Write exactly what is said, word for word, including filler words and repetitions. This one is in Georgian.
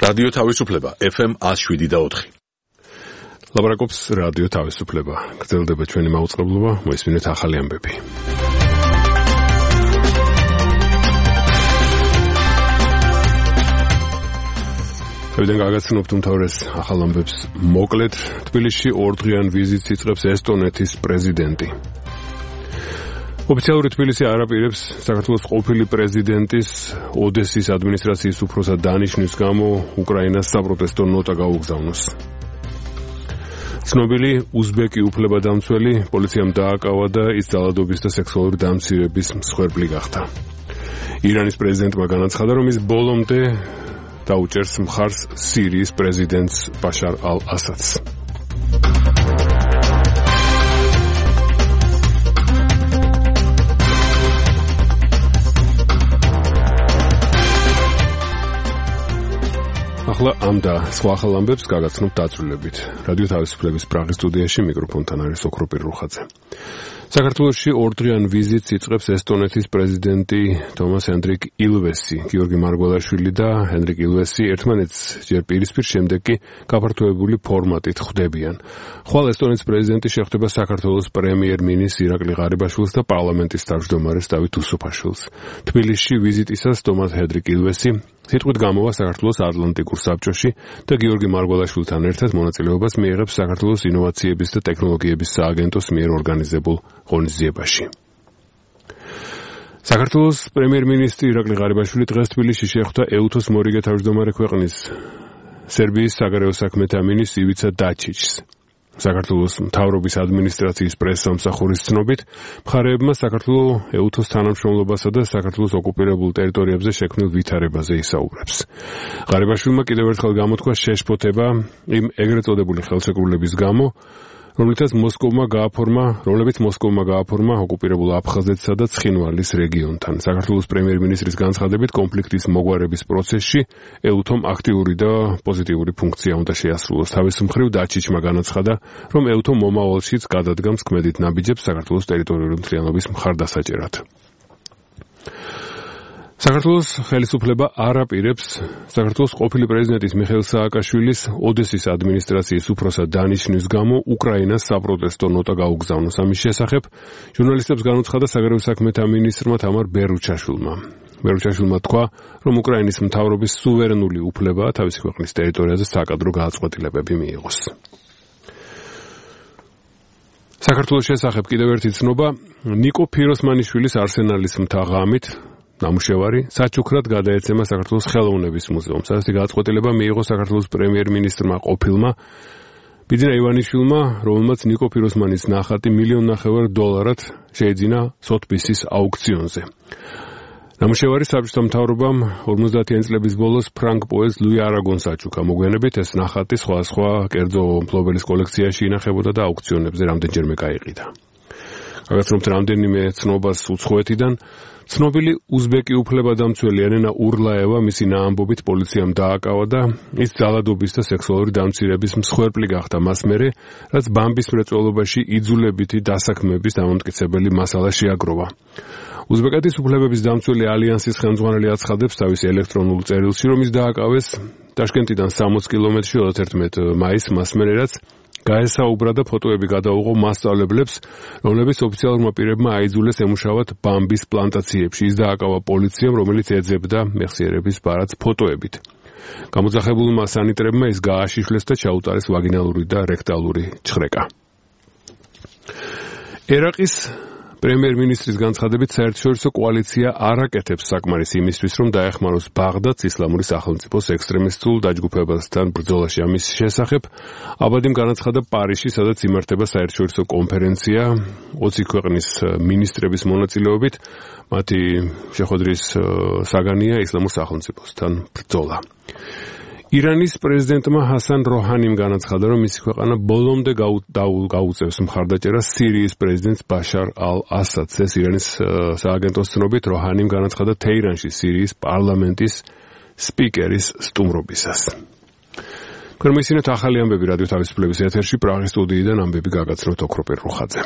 რადიო თავისუფლება ეფ ემ ათს შვიდი და ოთხი. ლაპარაკობს რადიო თავისუფლება. გრძელდება ჩვენი მაუწყებლობა, მოისმინეთ ახალი ამბები.Ევდენ გაგაცნობთ უმთავრეს ახალ ამბებს მოკლედ. თბილისში ორდღიან ვიზიტს იწყებს ესტონეთის პრეზიდენტი. ოფიციალური თბილისი არ აპირებს საქართველოს ყოფილი პრეზიდენტის ოდესის ადმინისტრაციის უფროსად დანიშნვის გამო უკრაინას საპროტესტო ნოტა გაუგზავნოს. ცნობილი უზბეკი უფლებადამცველი პოლიციამ დააკავა და ის ძალადობის და სექსუალური დამცირების მსხვერპლი გახდა. ირანის პრეზიდენტმა განაცხადა, რომ ის ბოლომდე დაუჭერს მხარს სირიის პრეზიდენტს ბაშარ ალ-ასადს. ახლა ამ და სხვა ახალ ამბებს გაგაცნობთ დაწვრილებით. რადიო თავისუფლების პრაღის სტუდიაში მიკროფონთან არის ოქროპირ რუხაძე. საქართველოში ორდღიან ვიზიტს იწყებს ესტონეთის პრეზიდენტი თომას ჰენდრიკ ილვესი. გიორგი მარგველაშვილი და ჰენდრიკ ილვესი ერთმანეთს ჯერ პირისპირ, შემდეგ კი გაფართოებული ფორმატით ხვდებიან. ხვალ ესტონეთის პრეზიდენტი შეხვდება საქართველოს პრემიერ-მინისტრს ირაკლი ღარიბაშვილს და პარლამენტის თავმჯდომარეს დავით უსუფაშვილს. თბილისში ვიზიტისას თომას ჰენდრიკ ილვესი სიტყვით გამოვა საქართველოს ატლანტიკურ საბჭოში და გიორგი მარგველაშვილთან ერთად მონაწილეობას მიიღებს საქართველოს ინოვაციების და ტექნოლოგიების სააგენტოს მიერ ორგანიზებულ ღონისძიებაში. საქართველოს პრემიერ-მინისტრი ირაკლი ღარიბაშვილი დღეს თბილისში შეხვდა ეუთოს მორიგე თავმჯდომარე ქვეყნის სერბიის საგარეო საქმეთა მინისტრ ივიცა დაჩიჩს. საქართველოს მთავრობის ადმინისტრაციის პრესსამსახურის ცნობით, მხარეებმა საქართველოს ეუთოს თანამშრომლობასა და საქართველოს ოკუპირებულ ტერიტორიებზე შექმნილ ვითარებაზე ისაუბრებს. ღარიბაშვილმა კიდევ ერთხელ გამოთქვა შეშფოთება იმ ეგრეთ წოდებული ხელშეკრულების გამო, რომლითაც მოსკოვმა გააფორმა, რომლებიც მოსკოვმა გააფორმა ოკუპირებულ აფხაზეთსა და ცხინვალის რეგიონთან. საქართველოს პრემიერ-მინისტრის განცხადებით, კონფლიქტის მოგვარების პროცესში ეუთომ აქტიური და პოზიტიური ფუნქცია უნდა შეასრულოს. თავის მხრივ დაჩიჩმა განაცხადა, რომ ეუთო მომავალშიც გადადგამს ქმედით ნაბიჯებს საქართველოს ტერიტორიული მთლიანობის მხარდასაჭერად. საქართველოს ხელისუფლება არ აპირებს საქართველოს ყოფილი პრეზიდენტის მიხეილ სააკაშვილის ოდესის ადმინისტრაციის უფროსად დანიშნვის გამო უკრაინას საპროტესტო ნოტა გაუგზავნოს. ამის შესახებ ჟურნალისტებს განუცხადა საგარეო საქმეთა მინისტრმა თამარ ბერუჩაშვილმა. ბერუჩაშვილმა თქვა, რომ უკრაინის მთავრობის სუვერენული უფლებაა თავისი ქვეყნის ტერიტორიაზე საკადრო გადაწყვეტილებები მიიღოს. საქართველოს შესახებ კიდევ ერთი ცნობა, ნიკო ფიროსმანიშვილის არსენალის მთა ღამით ნამუშევარი საჩუქრად გადაეცემა საქართველოს ხელოვნების მუზეუმს. ასეთი გადაწყვეტილება მიიღო საქართველოს პრემიერ-მინისტრმა ყოფილმა ბიძინა ივანიშვილმა, რომელმაც ნიკო ფიროსმანის ნახატი მილიონ ნახევარ დოლარად შეეძინა სოთბისის აუქციონზე. ნამუშევარი საბჭოთა მთავრობამ ორმოცდაათიანი წლების ბოლოს ფრანგ პოეტს ლუი არაგონს აჩუქა. მოგვიანებით ეს ნახატი სხვადასხვა კერძო მფლობელის კოლექციაში ინახებოდა და აუქციონებზე რამდენჯერმე გაიყიდა. გაგაცნობთ რამდენიმე ცნობას უცხოეთიდან. ცნობილი უზბეკი უფლებადამცველი ელენა ურლაევა მისი ნაამბობით პოლიციამ დააკავა და ის ძალადობის და სექსუალური დამცირების მსხვერპლი გახდა მას მერე, რაც ბამბის მრეწველობაში იძულებითი დასაქმების დამამტკიცებელი მასალა შეაგროვა. უზბეკეთის უფლებების დამცველი ალიანსის ხელმძღვანელი აცხადებს თავის ელექტრონულ წერილში, რომ ის დააკავეს ტაშკენტიდან სამოცი კილომეტრში ოცდაერთმეტი მაისს მას მერე, რაც გაესაუბრა და ფოტოები გადაუღო მასწავლებლებს, რომლებიც ოფიციალურმა პირებმა აიძულეს ემუშავათ ბამბის პლანტაციებში. ის დააკავა პოლიციამ, რომელიც ეძებდა მეხსიერების ბარათს ფოტოებით. გამოძახებულმა სანიტრებმა ის გააშიშვლეს და ჩაუტარეს ვაგინალური და რექტალური ჩხრეკა. ერაყის პრემიერ-მინისტრის განცხადებით, საერთაშორისო კოალიცია არ აკეთებს საკმარისს იმისთვის, რომ დაეხმაროს ბაღდადს ისლამური სახელმწიფოს ექსტრემისტულ დაჯგუფებასთან ბრძოლაში. ამის შესახებ აბადიმ განაცხადა პარიზში, სადაც იმართება საერთაშორისო კონფერენცია ოცი ქვეყნის მინისტრების მონაწილეობით. მათი შეხვედრის საგანია ისლამურ სახელმწიფოსთან ბრძოლა. ირანის პრეზიდენტმა ჰასან როჰანიმ განაცხადა, რომ მისი ქვეყანა ბოლომდე გაუწევს მხარდაჭერას სირიის პრეზიდენტს ბაშარ ალ-ასადს. ეს ირანის სააგენტოს ცნობით როჰანიმ განაცხადა თეირანში სირიის პარლამენტის სპიკერის სტუმრობისას. თქვენ მოისმინეთ ახალი ამბები რადიო თავისუფლების ეთერში, პრაღის სტუდიიდან ამბები გაგაცნობთ ოქროპირ რუხაძე.